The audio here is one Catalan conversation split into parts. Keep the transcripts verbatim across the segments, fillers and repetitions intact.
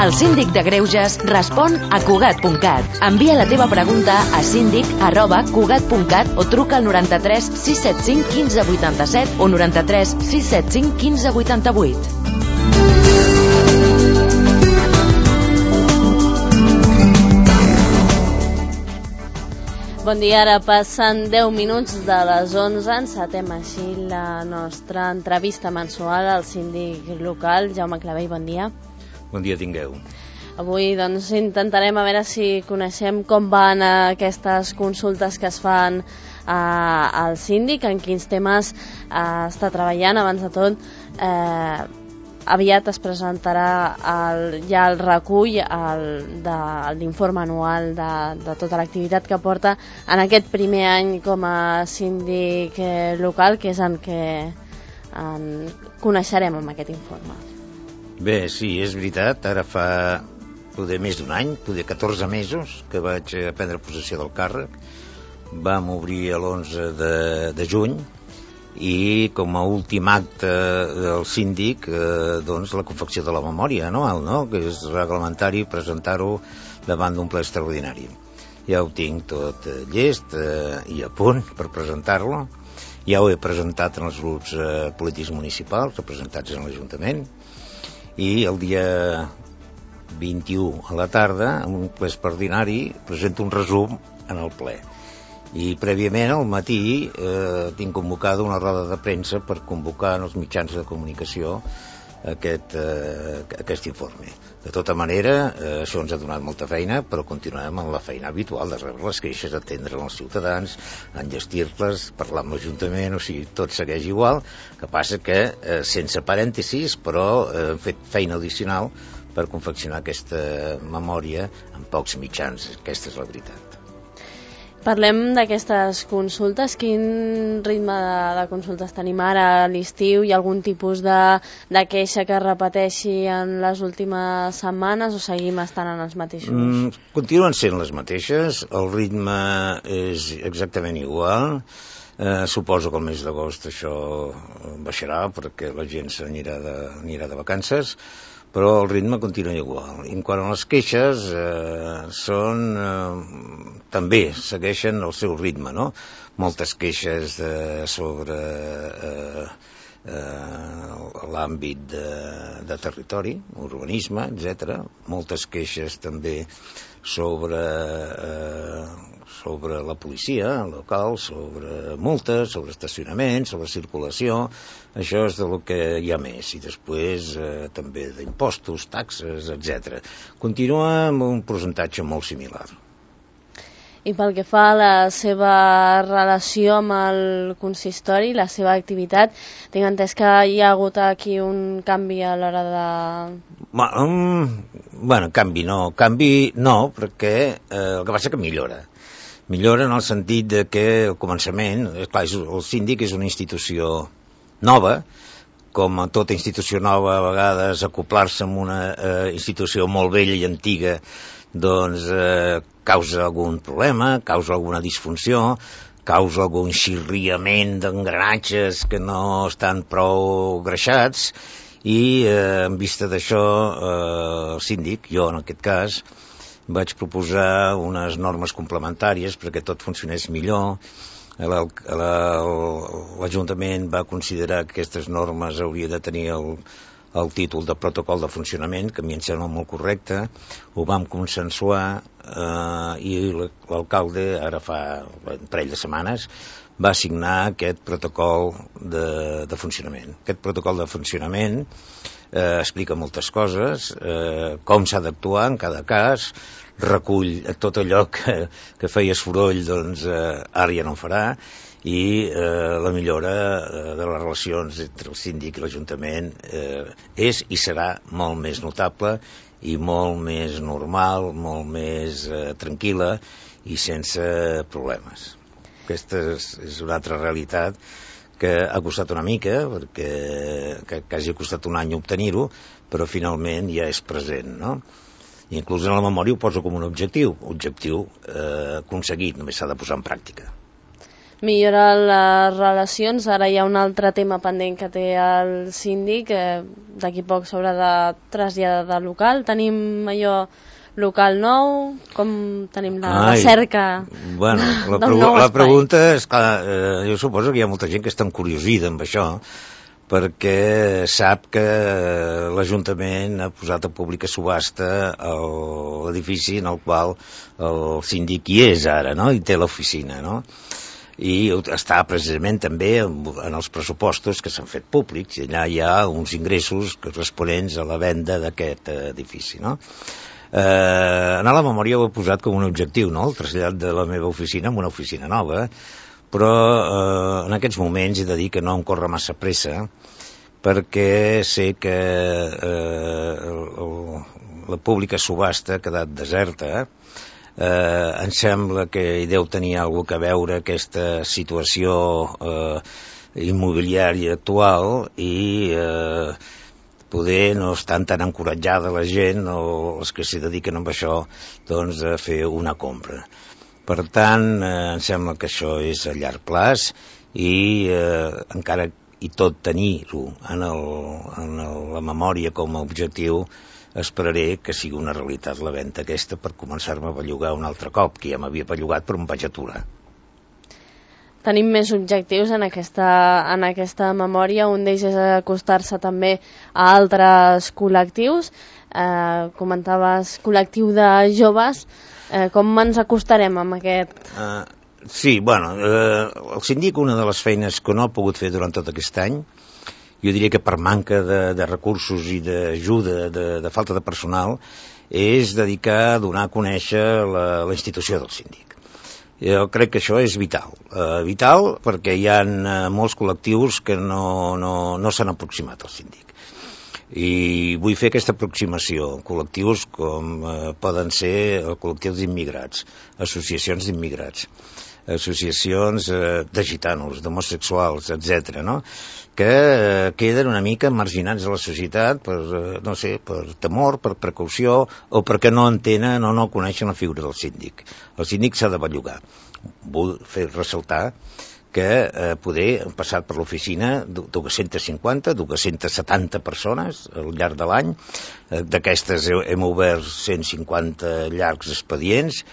El síndic de Greuges respon a Cugat punt cat. Envia la teva pregunta a síndic arroba cugat punt cat o truca al noranta-tres sis set cinc quinze vuitanta-set o noranta-tres sis set cinc quinze vuitanta-vuit. Bon dia, ara passen deu minuts de les onze, encetem així la nostra entrevista mensual al síndic local, Jaume Clavell, bon dia. Bon dia tingueu. Avui doncs intentarem a veure si coneixem com van aquestes consultes que es fan eh, al síndic, en quins temes eh, està treballant. Abans de tot, eh, aviat es presentarà el, ja el recull el, de, l'informe anual de, de tota l'activitat que porta en aquest primer any com a síndic eh, local, que és en què en coneixerem amb aquest informe. Bé, sí, és veritat, ara fa poder més d'un any, poder catorze mesos que vaig prendre possessió del càrrec. Vam obrir l'onze de, de juny i com a últim acte del síndic eh, doncs la confecció de la memòria anual, no? Que és reglamentari presentar-ho davant d'un ple extraordinari. Ja ho tinc tot eh, llest eh, i a punt per presentar-lo. Ja ho he presentat en els grups eh, polítics municipals representats en l'Ajuntament i el dia vint-i-u a la tarda, en un ple extraordinari, presento un resum en el ple. I prèviament al matí eh, tinc convocada una roda de premsa per convocar en els mitjans de comunicació aquest, eh, aquest informe. De tota manera, eh, això ens ha donat molta feina, però continuem amb la feina habitual de rebre les queixes, atendre els ciutadans, enllestir-les, parlar amb l'Ajuntament, o sigui, tot segueix igual, que passa que eh, sense parèntesis, però eh, hem fet feina addicional per confeccionar aquesta memòria amb pocs mitjans. Aquesta és la veritat. Parlem d'aquestes consultes. Quin ritme de, de consultes tenim ara a l'estiu? Hi ha algun tipus de, de queixa que es repeteixi en les últimes setmanes o seguim estant en els mateixos? Mm, continuen sent les mateixes, el ritme és exactament igual. Eh, suposo que el mes d'agost això baixarà perquè la gent s'anirà de, anirà de vacances, però el ritme continua igual. I en quant a les queixes, eh, són, eh, també segueixen el seu ritme, no? Moltes queixes eh, sobre eh, eh, l'àmbit de, de territori, urbanisme, etcètera. Moltes queixes també sobre, eh, sobre la policia local, sobre multes, sobre estacionament, sobre circulació. Això és del que hi ha més. I després eh, també d'impostos, taxes, etcètera. Continua amb un percentatge molt similar. I pel que fa a la seva relació amb el consistori, la seva activitat, tinc entès que hi ha hagut aquí un canvi a l'hora de... Bueno, um, bueno canvi no, canvi no, perquè eh, el que passa és que millora. Millora en el sentit de que al començament, clar, el síndic és una institució nova, com a tota institució nova, a vegades acoplar-se amb una eh, institució molt vella i antiga, doncs eh, causa algun problema, causa alguna disfunció, causa algun xirriament d'engranatges que no estan prou greixats i eh, en vista d'això eh, el síndic, jo en aquest cas, vaig proposar unes normes complementàries perquè tot funcionés millor. L'Ajuntament va considerar que aquestes normes hauria de tenir el, el títol de protocol de funcionament, que a mi em sembla molt correcte. Ho vam consensuar eh, i l'alcalde, ara fa un parell de setmanes, va signar aquest protocol de, de funcionament. Aquest protocol de funcionament eh, explica moltes coses, eh, com s'ha d'actuar en cada cas, recull tot allò que, que feia soroll, doncs eh, ara ja no en farà, i eh, la millora eh, de les relacions entre el síndic i l'Ajuntament eh, és i serà molt més notable i molt més normal, molt més eh, tranquil·la i sense problemes. Aquesta és, és una altra realitat que ha costat una mica, perquè que, que hagi costat un any obtenir-ho, però finalment ja és present, no? I inclús en la memòria ho poso com un objectiu, objectiu eh, aconseguit, només s'ha de posar en pràctica. millorar les relacions. Ara hi ha un altre tema pendent que té el síndic, eh, d'aquí poc s'haurà de traslladar de local. Tenim allò local nou, com tenim la, Ai, la cerca bueno, la, del pregu nou la espai? pregunta és clar, eh, jo suposo que hi ha molta gent que està encuriosida amb això, perquè sap que l'Ajuntament ha posat a pública subhasta l'edifici en el qual el síndic hi és ara, no? I té l'oficina, no? I està precisament també en els pressupostos que s'han fet públics, i allà hi ha uns ingressos corresponents a la venda d'aquest edifici, no? Eh, en la memòria ho he posat com un objectiu, no? El trasllat de la meva oficina en una oficina nova, però eh, en aquests moments he de dir que no em corre massa pressa, perquè sé que eh, el, la pública subhasta ha quedat deserta. Eh, em sembla que hi deu tenir alguna cosa a veure aquesta situació eh, immobiliària actual i eh, poder no estan tan encoratjada la gent o els que s'hi dediquen amb això, doncs, a fer una compra. Per tant, eh, em sembla que això és a llarg plaç i eh, encara i tot tenir-ho en, el, en el, la memòria com a objectiu, esperaré que sigui una realitat la venda aquesta per començar-me a bellugar un altre cop, que ja m'havia bellugat però em vaig aturar. Tenim més objectius en aquesta, en aquesta memòria. Un d'ells és acostar-se també a altres col·lectius. Eh, comentaves col·lectiu de joves. Eh, com ens acostarem amb aquest? Uh, sí, bueno, eh, el síndic, una de les feines que no ha pogut fer durant tot aquest any, jo diria que per manca de, de recursos i d'ajuda, de, de falta de personal, és dedicar a donar a conèixer la, la institució del síndic. Jo crec que això és vital. Eh, vital perquè hi ha eh, molts col·lectius que no, no, no s'han aproximat al síndic. I vull fer aquesta aproximació. Col·lectius com eh, poden ser col·lectius d'immigrats, associacions d'immigrats, associacions eh, de gitanos, d'homosexuals, etcètera, no? que eh, queden una mica marginats de la societat per, eh, no sé, per temor, per precaució o perquè no entenen o no coneixen la figura del síndic. El síndic s'ha de bellugar. Vull fer ressaltar que eh, poder han passat per l'oficina dues-centes cinquanta, dues-centes setanta persones al llarg de l'any. Eh, D'aquestes hem obert cent cinquanta llargs expedients,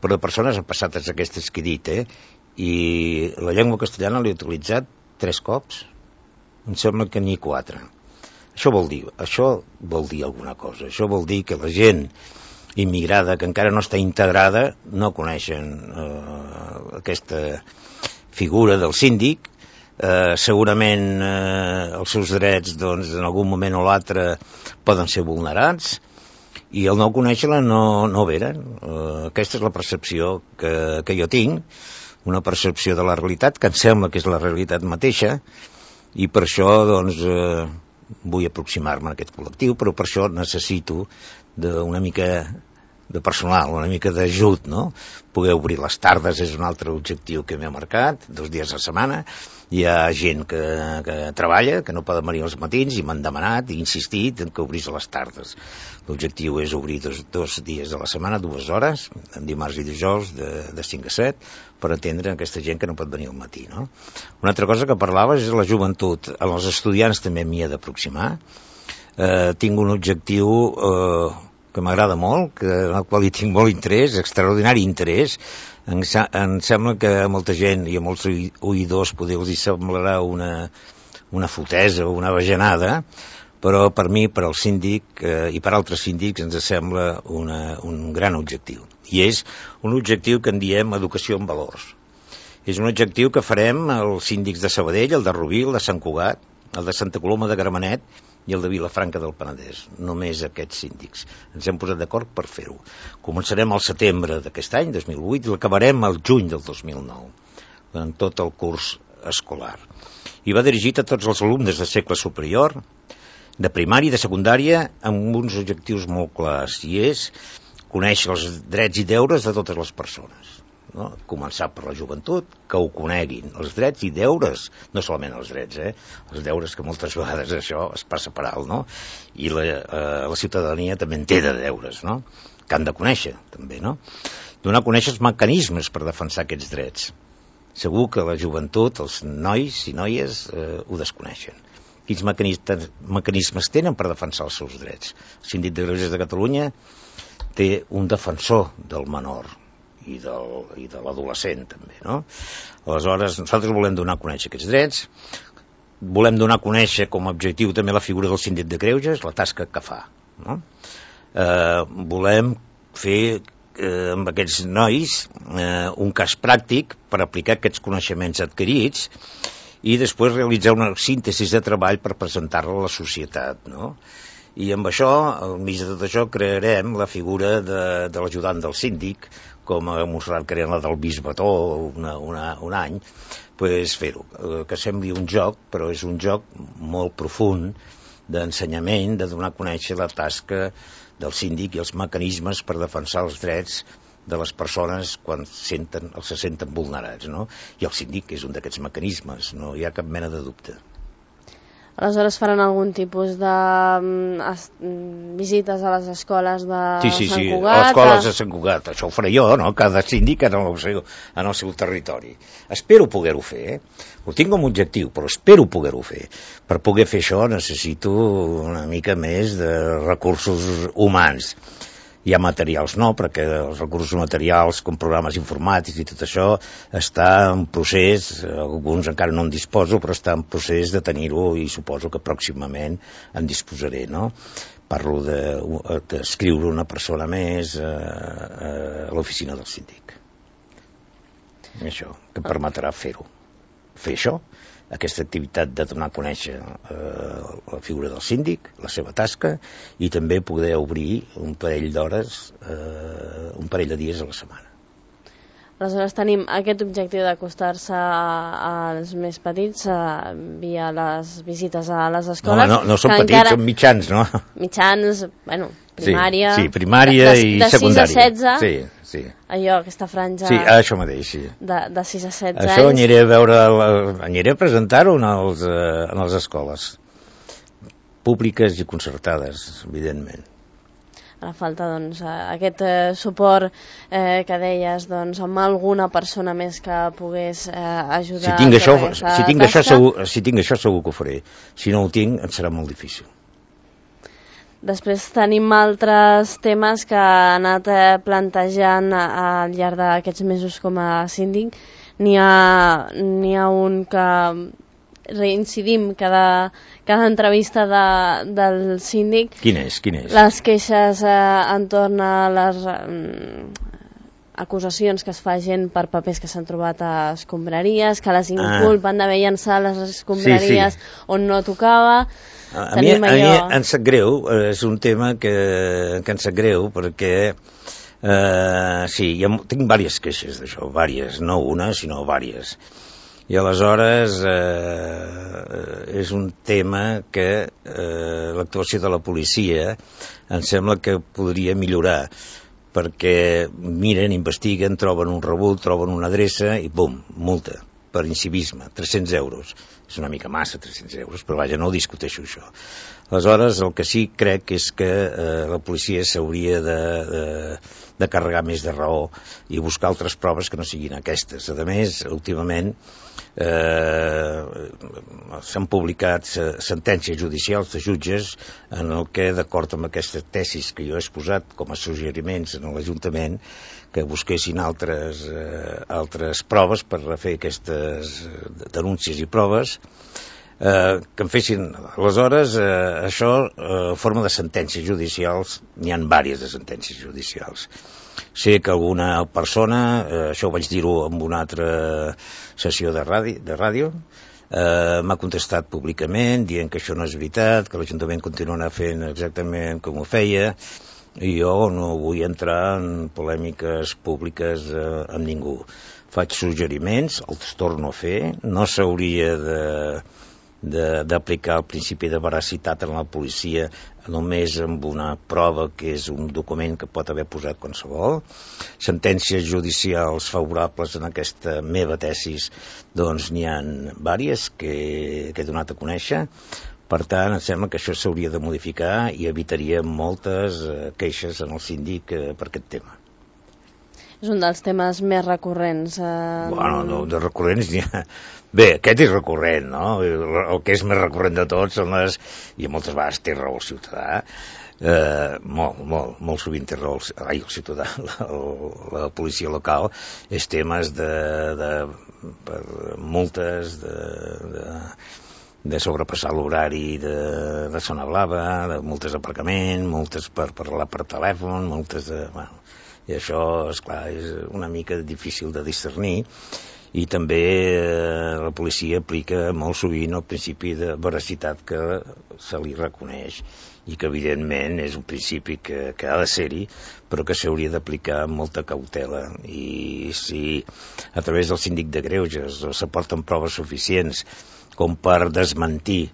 però de persones han passat aquestes que he dit, eh? I la llengua castellana l'he utilitzat tres cops, em sembla que n'hi quatre. Això vol dir, això vol dir alguna cosa. Això vol dir que la gent immigrada que encara no està integrada no coneixen eh, aquesta figura del síndic. Eh, segurament eh, els seus drets, doncs, en algun moment o l'altre poden ser vulnerats, i el no conèixer-la no, no veren. Uh, aquesta és la percepció que, que jo tinc, una percepció de la realitat que em sembla que és la realitat mateixa, i per això doncs, uh, vull aproximar-me a aquest col·lectiu, però per això necessito una mica de personal, una mica d'ajut, no? Poder obrir les tardes és un altre objectiu que m'he marcat, dos dies a la setmana. Hi ha gent que, que treballa, que no poden venir als matins, i m'han demanat i insistit en que obrís a les tardes. L'objectiu és obrir dos, dos dies a la setmana, dues hores, en dimarts i dijous, de, de cinc a set, per atendre aquesta gent que no pot venir al matí, no? Una altra cosa que parlaves és la joventut. Els estudiants també m'hi he d'aproximar. Eh, tinc un objectiu eh, que m'agrada molt, que, en el qual hi tinc molt interès, extraordinari interès. Em, em sembla que a molta gent i a molts oïdors poder els hi semblarà una, una fotesa o una bajanada, però per mi, per al síndic eh, i per altres síndics ens sembla una, un gran objectiu. I és un objectiu que en diem educació en valors. És un objectiu que farem els síndics de Sabadell, el de Rubí, el de Sant Cugat, el de Santa Coloma de Gramenet i el de Vilafranca del Penedès. Només aquests síndics. Ens hem posat d'acord per fer-ho. Començarem al setembre d'aquest any, dos mil vuit, i l'acabarem al juny del dos mil nou, en tot el curs escolar. I va dirigit a tots els alumnes de segle superior, de primària i de secundària, amb uns objectius molt clars, i és conèixer els drets i deures de totes les persones. No? Començar per la joventut, que ho coneguin, els drets i deures, no solament els drets, eh? Els deures, que moltes vegades això es passa per alt, no? I la, eh, la ciutadania també en té de deures, no? Que han de conèixer, també, no? Donar a conèixer els mecanismes per defensar aquests drets. segur que la joventut, els nois i noies, eh, ho desconeixen. Quins mecanismes, mecanismes tenen per defensar els seus drets? El Síndic de Greuges de Catalunya té un defensor del menor i, del, i de l'adolescent també, no? Aleshores, nosaltres volem donar a conèixer aquests drets, volem donar a conèixer com a objectiu també la figura del Síndic de Greuges, la tasca que fa, no? Eh, volem fer eh, amb aquests nois eh, un cas pràctic per aplicar aquests coneixements adquirits i després realitzar una síntesi de treball per presentar-la a la societat, no? I amb això, al mig de tot això, crearem la figura de, de l'ajudant del síndic, com a Montserrat creant la del bisbató una, una, un any, pues fer-ho, que sembli un joc, però és un joc molt profund d'ensenyament, de donar a conèixer la tasca del síndic i els mecanismes per defensar els drets de les persones quan senten, els se senten vulnerats, no? I el síndic és un d'aquests mecanismes, no hi ha cap mena de dubte. Aleshores faran algun tipus de um, es, visites a les escoles de sí, sí, Sant sí. Cugat? A les escoles de Sant Cugat, això ho faré jo, no? Cada síndic en el seu, en el seu territori. Espero poder-ho fer, eh? Ho tinc com a objectiu, però espero poder-ho fer. Per poder fer això necessito una mica més de recursos humans. Hi ha materials no, perquè els recursos materials com programes informàtics i tot això està en procés, alguns encara no en disposo, però està en procés de tenir-ho i suposo que pròximament en disposaré, no? Parlo d'escriure de, una persona més a, a l'oficina del síndic. Això, que permetrà fer-ho. Fer això, aquesta activitat de donar a conèixer eh, la figura del síndic, la seva tasca, i també poder obrir un parell d'hores, eh, un parell de dies a la setmana. Aleshores tenim aquest objectiu d'acostar-se als més petits eh, via les visites a les escoles. No, no, no són petits, encara... són mitjans, no? Mitjans, bueno, primària... Sí, sí primària de, de, i de secundària. De sis a setze, sí, sí. Allò, aquesta franja... Sí, això mateix, sí. De, de sis a setze això anys... Això aniré a veure, aniré a presentar-ho en, els, en les escoles públiques i concertades, evidentment. A la falta, doncs, aquest eh, suport eh, que deies, doncs, amb alguna persona més que pogués eh, ajudar... Si tinc, això, si, tinc això, segur, si tinc això segur que ho faré. Si no ho tinc, em serà molt difícil. Després tenim altres temes que ha anat eh, plantejant al llarg d'aquests mesos com a síndic. N'hi ha, n'hi ha un que reincidim cada, cada entrevista de, del síndic. Quin és? Quin és? Les queixes eh, entorn a les eh, acusacions que es fa gent per papers que s'han trobat a escombraries, que les inculpen ah. d'haver llançat les escombraries sí, sí. on no tocava. A, a, mi, a allò... mi em sap greu, és un tema que, que em sap greu perquè eh, sí, ha, tinc diverses queixes d'això, diverses, no una sinó diverses. I aleshores eh, és un tema que eh, l'actuació de la policia em sembla que podria millorar, perquè miren, investiguen, troben un rebut, troben una adreça i bum, multa per incivisme, tres-cents euros. És una mica massa, tres-cents euros, però vaja, no ho discuteixo això. Aleshores, el que sí crec és que eh, la policia s'hauria de, de, de carregar més de raó i buscar altres proves que no siguin aquestes. A més, últimament eh, s'han publicat sentències judicials de jutges en el que, d'acord amb aquestes tesis que jo he exposat com a suggeriments en l'Ajuntament, que busquessin altres, eh, altres proves per fer aquestes denúncies i proves, eh, que en fessin. Aleshores, eh, això, eh, forma de sentències judicials, n'hi ha diverses de sentències judicials. Sé que alguna persona, eh, això ho vaig dir-ho en una altra sessió de ràdio, de ràdio eh, m'ha contestat públicament dient que això no és veritat, que l'Ajuntament continuarà fent exactament com ho feia, i jo no vull entrar en polèmiques públiques eh, amb ningú. Faig suggeriments, els torno a fer, no s'hauria de d'aplicar el principi de veracitat en la policia només amb una prova que és un document que pot haver posat qualsevol. Sentències judicials favorables en aquesta meva tesis, doncs n'hi ha diverses que, que he donat a conèixer. Per tant, em sembla que això s'hauria de modificar i evitaria moltes eh, queixes en el síndic eh, per aquest tema. és un dels temes més recurrents. Eh... Bueno, no, de recurrents n'hi ha... Bé, aquest és recurrent, no? El que és més recurrent de tots són les... I moltes vegades té raó el ciutadà, eh, molt, molt, molt sovint té raó el, ai, el ciutadà, la, la policia local, és temes de, de per multes, de... de de sobrepassar l'horari de, de zona blava, de multes d'aparcament, multes per parlar per telèfon, multes de... Bueno, i això, esclar, és una mica difícil de discernir, i també eh, la policia aplica molt sovint el principi de veracitat que se li reconeix, i que evidentment és un principi que, que ha de ser-hi, però que s'hauria d'aplicar amb molta cautela. I si a través del síndic de greuges s'aporten proves suficients com per desmentir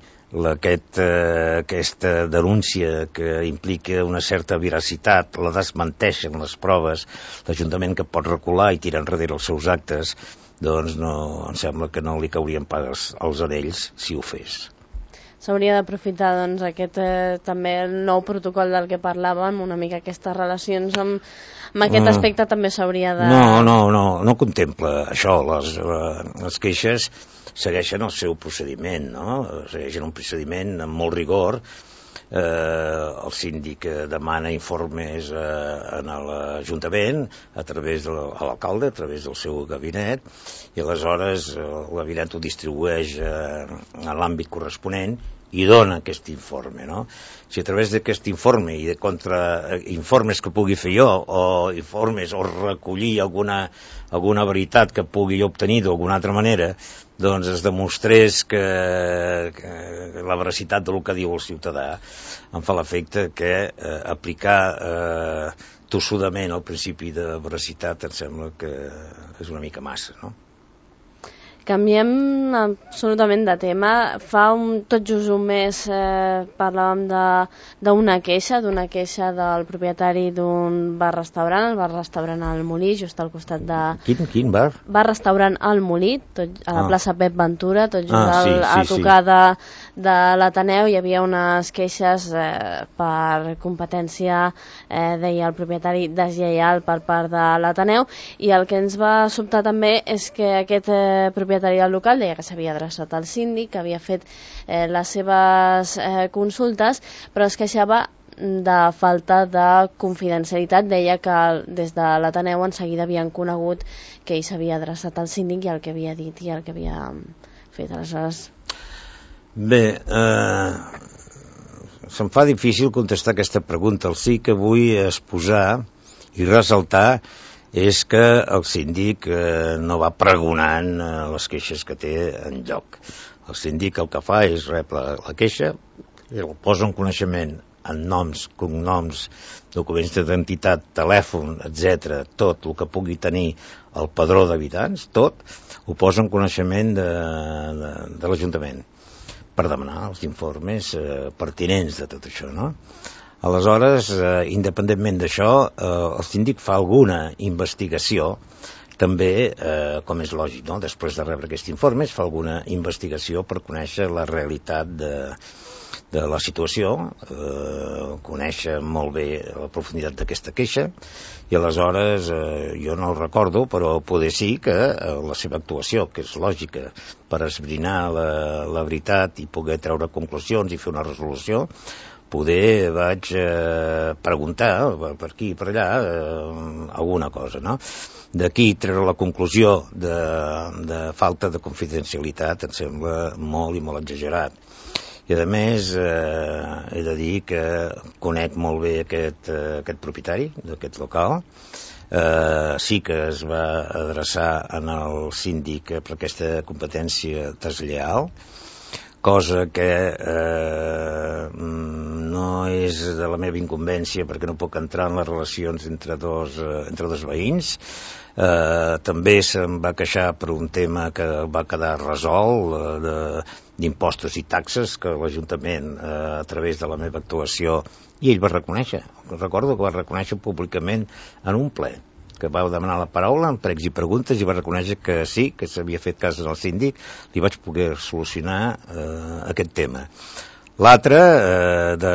aquest, eh, aquesta denúncia que implica una certa veracitat, la desmenteixen les proves, l'Ajuntament que pot recular i tirar enrere els seus actes, doncs no, em sembla que no li caurien pas als anells si ho fes. S'hauria d'aprofitar doncs, aquest, eh, també el nou protocol del que parlàvem, una mica aquestes relacions amb, amb aquest Mm. aspecte també s'hauria de... No, no, no, no contempla això, les, les queixes segueixen el seu procediment, no? Segueixen un procediment amb molt rigor. Eh, el síndic demana informes eh, en l'Ajuntament a través de l'alcalde, a través del seu gabinet, i aleshores el gabinet ho distribueix eh, en l'àmbit corresponent i dona aquest informe, no? Si a través d'aquest informe i de contrainformes que pugui fer jo, o informes, o recollir alguna, alguna veritat que pugui obtenir d'alguna altra manera, doncs es demostrés que, que la veracitat del que diu el ciutadà em fa l'efecte que eh, aplicar eh, tossudament el principi de veracitat em sembla que és una mica massa, no? Canviem absolutament de tema. Fa un, tot just un mes eh, parlàvem d'una queixa, d'una queixa del propietari d'un bar-restaurant, el bar-restaurant al Molí, just al costat de... Quin, quin bar? Bar-restaurant al Molí, tot, a la ah. plaça Pep Ventura, tot just ah, sí, al, sí, a tocar sí. de, de l'Ateneu. Hi havia unes queixes eh, per competència, eh, deia el propietari, deslleial per part de l'Ateneu, i el que ens va sobtar també és que aquest eh, propietari del local deia que s'havia adreçat al síndic, que havia fet eh, les seves eh, consultes, però es queixava de falta de confidencialitat. Deia que des de l'Ateneu en seguida havien conegut que ell s'havia adreçat al síndic i el que havia dit i el que havia fet. Aleshores... Bé, eh, se'm fa difícil contestar aquesta pregunta. El sí que vull exposar i ressaltar és que el síndic eh, no va pregonant eh, les queixes que té en lloc. El síndic el que fa és rep la, la queixa, el posa en coneixement en noms, cognoms, documents d'identitat, telèfon, etcètera, tot el que pugui tenir el padró d'habitants, tot, ho posa en coneixement de, de, de l'Ajuntament per demanar els informes eh, pertinents de tot això, no? Aleshores, eh, independentment d'això, eh, el síndic fa alguna investigació, també, eh, com és lògic, no? Després de rebre aquests informes, fa alguna investigació per conèixer la realitat de, de la situació, eh, conèixer molt bé la profunditat d'aquesta queixa, i aleshores, eh, jo no ho recordo, però poder sí que eh, la seva actuació, que és lògica, per esbrinar la, la veritat i poder treure conclusions i fer una resolució, poder vaig eh, preguntar per aquí i per allà eh, alguna cosa, no? D'aquí treure la conclusió de, de falta de confidencialitat em sembla molt i molt exagerat. I a més eh, he de dir que conec molt bé aquest, eh, aquest propietari d'aquest local. Eh, sí que es va adreçar en el síndic per aquesta competència deslleial, cosa que eh, no és de la meva incumbència perquè no puc entrar en les relacions entre dos, eh, entre dos veïns. Eh, també se'm va queixar per un tema que va quedar resolt eh, d'impostos i taxes que l'Ajuntament eh, a través de la meva actuació, i ell va reconèixer, recordo que va reconèixer públicament en un ple, que va demanar la paraula en pregs i preguntes i va reconèixer que sí, que s'havia fet cas al síndic, li vaig poder solucionar eh, aquest tema. L'altre, eh, de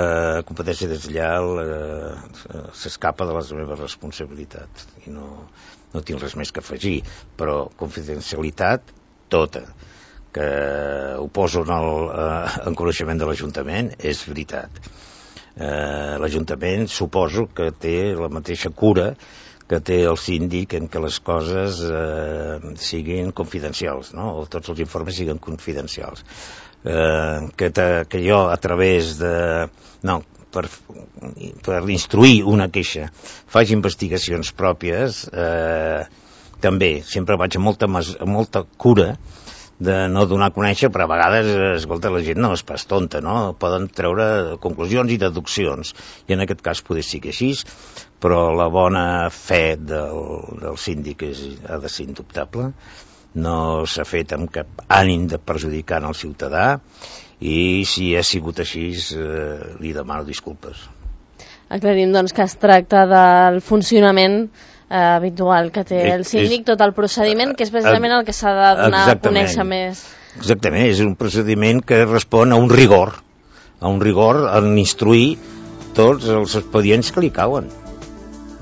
competència deslleial, eh, s'escapa de les meves responsabilitats i no, no tinc res més que afegir, però confidencialitat tota, que ho poso en, el, eh, en coneixement de l'Ajuntament, és veritat. Eh, L'Ajuntament suposo que té la mateixa cura que té el síndic en què les coses eh, siguin confidencials, no? O tots els informes siguin confidencials. Eh, que, te, que jo a través de... No, per, per instruir una queixa faig investigacions pròpies, eh, també sempre vaig amb molta, amb molta cura de no donar a conèixer, però a vegades, escolta, la gent no és pas tonta, no? Poden treure conclusions i deduccions, i en aquest cas potser sigui així, però la bona fe del, del síndic és, ha de ser indubtable, no s'ha fet amb cap ànim de perjudicar el ciutadà, i si ha sigut així, eh, li demano disculpes. Aclarim, doncs, que es tracta del funcionament Eh, habitual que té el síndic, tot el procediment, que és precisament el que s'ha de donar a conèixer més. Exactament, és un procediment que respon a un rigor, a un rigor en instruir tots els expedients que li cauen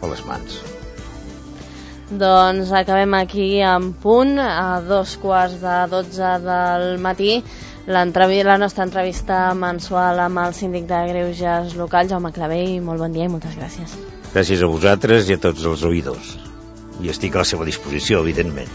a les mans. Doncs acabem aquí en punt, a dos quarts de dotze del matí, la nostra entrevista mensual amb el síndic de Greuges local, Jaume Clavell. Molt bon dia i moltes gràcies. Gràcies a vosaltres i a tots els oïdors. I estic a la seva disposició, evidentment.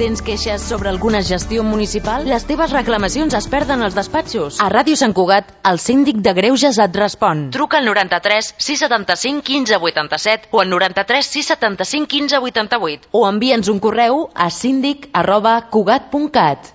Tens queixes sobre alguna gestió municipal? Les teves reclamacions es perden als despatxos. A Ràdio Sant Cugat, el síndic de Greuges et respon. Truca al noranta-tres sis setanta-cinc quinze vuitanta-set o al noranta-tres sis setanta-cinc quinze vuitanta-vuit o envia'ns un correu a síndic arroba cugat punt cat.